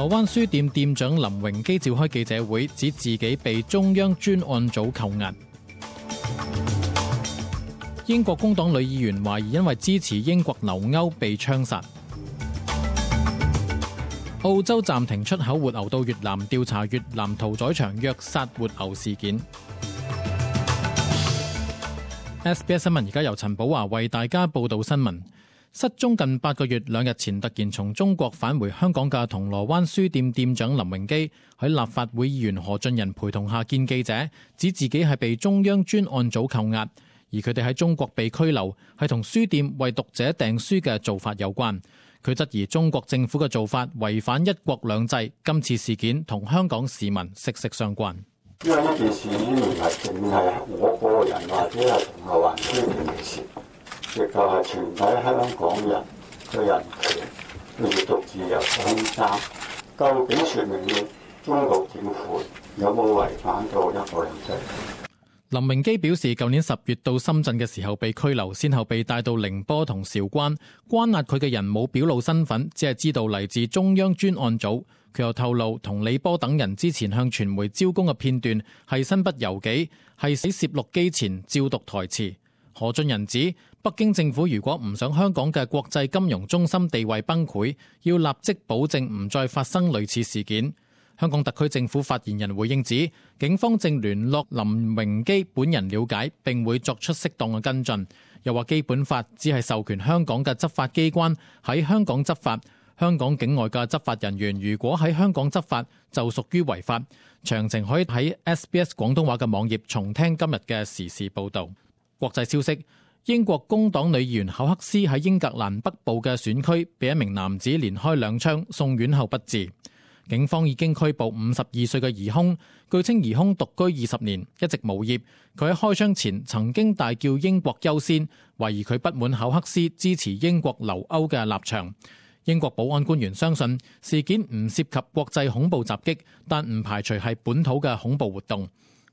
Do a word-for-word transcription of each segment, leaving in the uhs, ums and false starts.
鑼灣書店店長林榮基召開記者會，指自己被中央專案組扣押。英國工黨女議員懷疑因為支持英國留歐被槍殺。澳洲暫停出口活牛到越南，調查越南屠宰場虐殺活牛事件。S B S 新聞而家由陳寶華為大家報道新聞。失蹤近八個月，兩日前突然從中國返回香港嘅銅鑼灣書店店長林榮基喺立法會議員何俊仁陪同下見記者，指自己係被中央專案組扣押，而佢哋喺中國被拘留係同書店為讀者訂書嘅做法有關。佢質疑中國政府嘅做法違反一國兩制，今次事件同香港市民息息相關。因為呢件事已經唔係淨係我個人或者係銅鑼灣書店嘅事，亦就係全體香港人嘅人權、閱讀自由嘅空間。究竟説明了中國政府有冇違反到一國兩制？林榮基表示，舊年十月到深圳嘅時候被拘留，先後被帶到寧波同韶關，關押佢嘅人冇表露身份，只係知道嚟自中央專案組。佢又透露，同李波等人之前向傳媒招供嘅片段係身不由己，係喺攝錄機前照讀台詞。何俊仁指，北京政府如果唔想香港嘅國際金融中心地位崩潰，要立即保證唔再發生類似事件。香港特區政府發言人回應指，警方正聯絡林榮基本人了解，並會作出適當嘅跟進。又話基本法只係授權香港嘅執法機關喺香港執法，香港境外嘅執法人員如果喺香港執法就屬於違法。詳情可以喺 S B S 廣東話嘅網頁重聽今日嘅時事報導。國際消息，英國工黨女議員考克斯喺英格蘭北部嘅選區被一名男子連開兩槍，送院後不治。警方已經拘捕五十二歲嘅疑兇，據稱疑兇獨居二十年，一直無業。佢喺開槍前曾經大叫英國優先，懷疑佢不滿考克斯支持英國留歐嘅立場。英國保安官員相信事件唔涉及國際恐怖襲擊，但唔排除係本土嘅恐怖活動。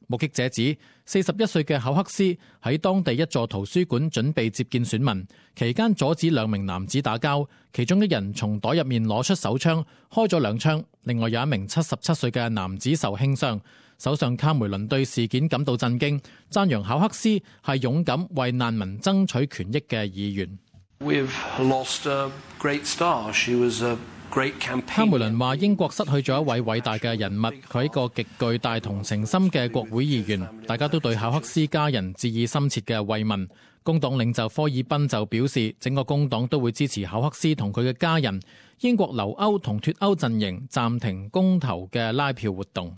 目擊者指，四十一歲嘅考克斯喺當地一座圖書館準備接見選民，期間阻止兩名男子打交，其中一人從袋入面攞出手槍開咗兩槍，另外有一名七十七歲嘅男子受輕傷。首相卡梅倫對事件感到震驚，讚揚考克斯係勇敢為難民爭取權益嘅議員。We've lost a great star. She was a卡梅倫話英國失去咗一位偉大嘅人物，佢係一個極具大同情心嘅國會議員，大家都對考克斯家人致以深切嘅慰問。工黨領袖科爾賓就表示，整個工黨都會支持考克斯同佢嘅家人。英國留歐同脫歐陣營暫停公投嘅拉票活動。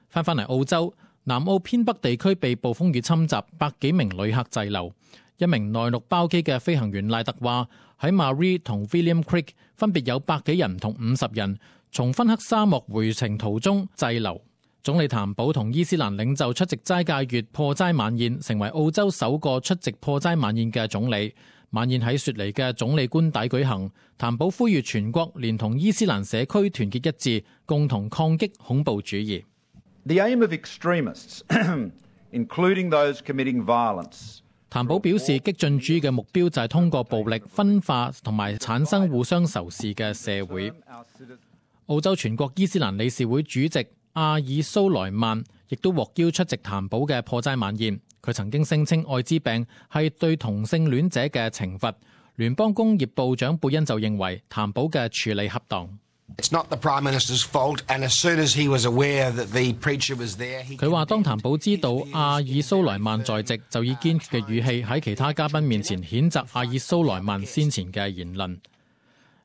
翻返嚟澳洲，南澳偏北地區被暴風雨侵襲，百幾名旅客滯留。一名內陸包機嘅飛行員賴特話，喺 Maree 同 William Creek 分別有百幾人同五十人從芬克沙漠回程途中滯留。總理譚寶同伊斯蘭領袖出席齋戒月破齋晚宴，成為澳洲首個出席破齋晚宴嘅總理。晚宴喺雪梨嘅總理官邸舉行。譚寶呼籲全國連同伊斯蘭社區團結一致，共同抗擊恐怖主義。The aim of extremists, including those committing violence. 譚寶表示，激進主義嘅目標就係通過暴力分化同埋產生互相仇視嘅社會。澳洲全國伊斯蘭理事會主席阿爾蘇萊曼亦都獲邀出席譚寶嘅破齋晚宴。佢曾經聲稱愛滋病係對同性戀者嘅懲罰。聯邦工業部長貝恩就認為譚寶嘅處理恰當。佢話當譚寶知道阿爾蘇萊曼在席，就以堅決嘅語氣喺其他嘉賓面前譴責阿爾蘇萊曼先前嘅言論。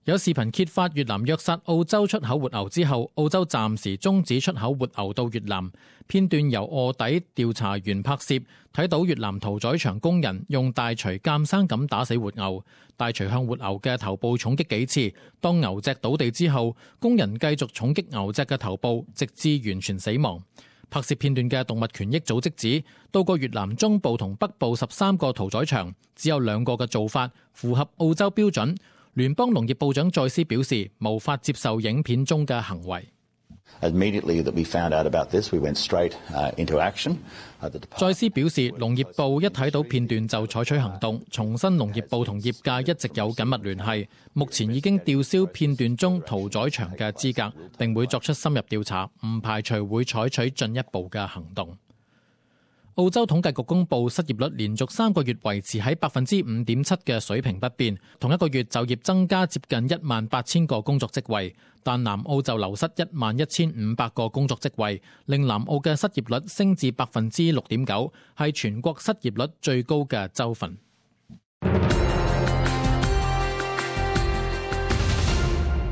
有視頻揭發越南虐殺澳洲出口活牛之後，澳洲暫時終止出口活牛到越南。片段由臥底調查員拍攝，睇到越南屠宰場工人用大錘監生咁打死活牛，大錘向活牛嘅頭部重擊幾次。當牛隻倒地之後，工人繼續重擊牛隻嘅頭部，直至完全死亡。拍攝片段嘅動物權益組織指，到過越南中部同北部十三個屠宰場，只有兩個嘅做法符合澳洲標準。聯邦農業部長再斯表示，無法接受影片中嘅行為。Immediately that we found out about this, we went straight into action. 再司表示，農業部一睇到片段就採取行動，重申農業部同業界一直有緊密聯繫，目前已經吊銷片段中屠宰場嘅資格，並會作出深入調查，唔排除會採取進一步嘅行動。澳洲統計局公布失業率連續三個月維持喺百分之五點七嘅水平不變，同一個月就業增加接近一萬八千個工作職位，但南澳就流失一萬一千五百個工作職位，令南澳嘅失業率升至百分之六點九，係全國失業率最高嘅州份。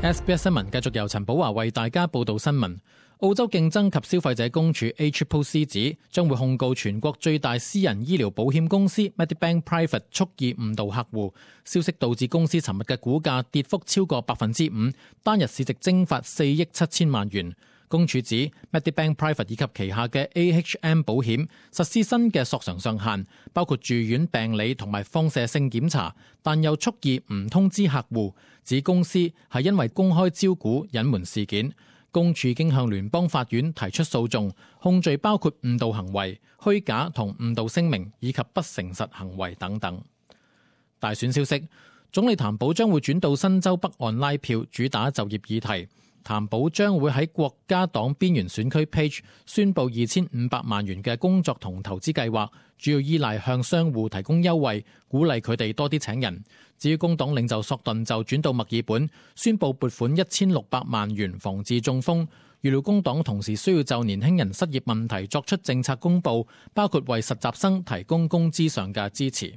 S B S 新聞繼續由陳寶華為大家報道新聞。澳洲競爭及消費者公署 A C C C 指將會控告全國最大私人醫療保險公司 Medibank Private 蓄意誤導客戶，消息導致公司尋日嘅股價跌幅超過百分之五，單日市值蒸發四億七千萬元。公署指 Medibank Private 以及旗下嘅 A H M 保險實施新嘅索償上限，包括住院病理同埋放射性檢查，但又蓄意唔通知客戶，指公司係因為公開招股隱瞞事件。公署已經向聯邦法院提出訴訟，控罪包括誤導行為、虛假同誤導聲明以及不誠實行為等等。大選消息，總理譚寶將會轉到新州北岸拉票，主打就業議題。譚寶將會喺國家黨邊緣選區 Page 宣布二千五百萬元嘅工作同投資計劃，主要依賴向商戶提供優惠，鼓勵佢哋多啲請人。至於工黨領袖索頓就轉到墨爾本，宣布撥款一千六百萬元防治中風。預料工黨同時需要就年輕人失業問題作出政策公佈，包括為實習生提供工資上嘅支持。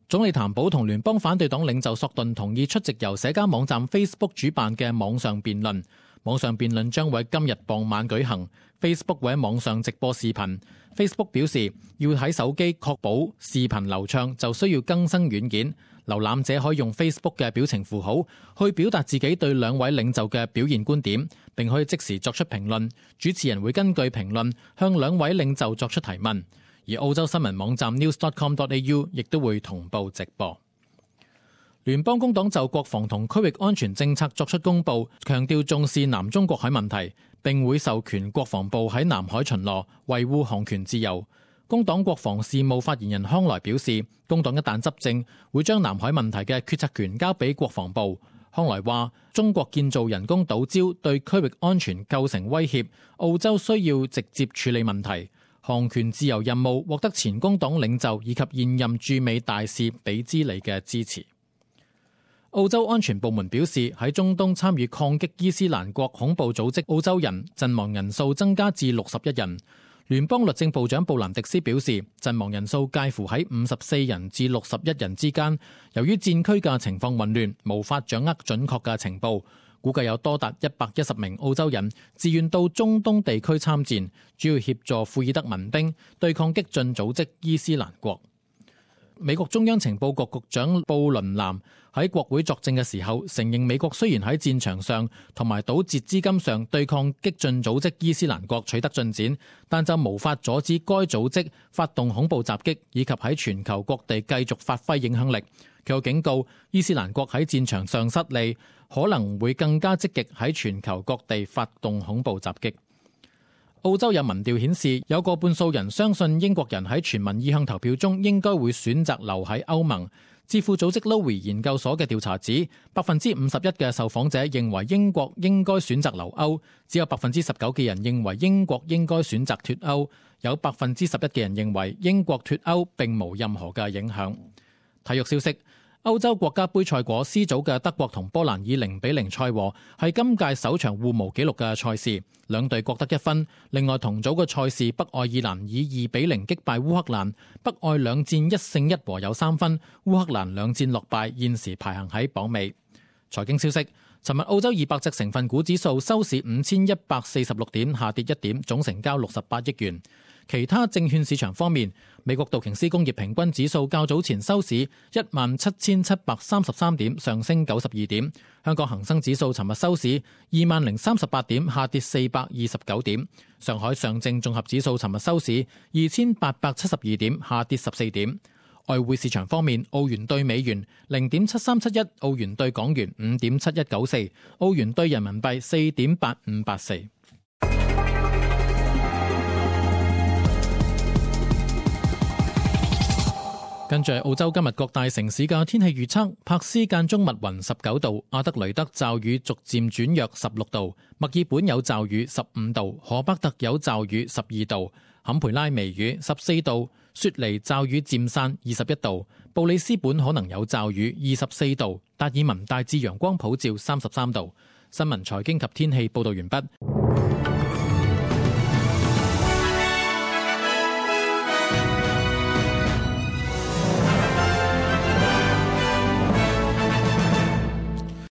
總理譚寶同聯邦反對黨領袖索頓同意出席由社交網站 Facebook 主辦嘅網上辯論。網上辯論將會今日傍晚舉行。Facebook 會喺網上直播視頻。Facebook 表示，要喺手機確保視頻流暢，就需要更新軟件。瀏覽者可以用 Facebook 嘅表情符號去表達自己對兩位領袖嘅表現觀點，並可以即時作出評論。主持人會根據評論向兩位領袖作出提問。而澳洲新聞網站 news dot com dot a u 亦都會同步直播。聯邦工黨就國防同區域安全政策作出公佈，強調重視南中國海問題，並會授權國防部喺南海巡邏，維護航權自由。工黨國防事務發言人康萊表示，工黨一旦執政，會將南海問題嘅決策權交俾國防部。康萊話，中國建造人工島礁對區域安全構成威脅，澳洲需要直接處理問題。航權自由任務獲得前工黨領袖以及現任駐美大使比茲里嘅支持。澳洲安全部門表示，喺中東參與抗擊伊斯蘭國恐怖組織澳洲人陣亡人數增加至六十一人。聯邦律政部長布蘭迪斯表示，陣亡人數介乎喺五十四人至六十一人之間。由於戰區嘅情況混亂，無法掌握準確嘅情報，估計有多達一百一十名澳洲人自願到中東地區參戰，主要協助庫爾德民兵對抗激進組織伊斯蘭國。美國中央情報局局長布倫南喺國會作證嘅時候，承認美國雖然喺戰場上同埋堵截資金上對抗激進組織伊斯蘭國取得進展，但就無法阻止該組織發動恐怖襲擊，以及喺全球各地繼續發揮影響力。佢又警告，伊斯蘭國喺戰場上失利，可能會更加積極喺全球各地發動恐怖襲擊。澳洲有民調顯示，有過半數人相信英國人喺全民意向投票中應該會選擇留喺歐盟。智庫組織 Lowy 研究所嘅調查指，百分之五十一嘅受訪者認為英國應該選擇留歐，只有百分之十九嘅人認為英國應該選擇脫歐，有百分之十一嘅人認為英國脫歐並無任何嘅影響。體育消息。歐洲國家盃賽果 C 組嘅德國同波蘭以零比零賽和，係今屆首場互無紀錄嘅賽事，兩隊各得一分。另外同組嘅賽事，北愛爾蘭以二比零擊敗烏克蘭，北愛兩戰一勝一和有三分，烏克蘭兩戰落敗，現時排行喺榜尾。財經消息，尋日澳洲二百隻成分股指數收市五千一百四十六點，下跌一點，總成交六十八億元。其他證券市場方面，美國道瓊斯工業平均指數較早前收市一萬七千七百三十三點，上升九十二點。香港恒生指數尋日收市二萬零三十八點，下跌四百二十九點。上海上證綜合指數尋日收市二千八百七十二點，下跌十四點。外匯市場方面，澳元兌美元零點七三七一，澳元兌港元五點七一九四，澳元兌人民幣四點八五八四。跟住澳洲今日各大城市嘅天氣預測：柏斯間中密雲十九度，阿德雷德驟雨逐漸轉弱十六度，墨爾本有驟雨十五度，荷伯特有驟雨十二度，坎培拉微雨十四度，雪梨驟雨漸散二十一度，布里斯本可能有驟雨二十四度，達爾文大致陽光普照三十三度。新聞財經及天氣報道完畢。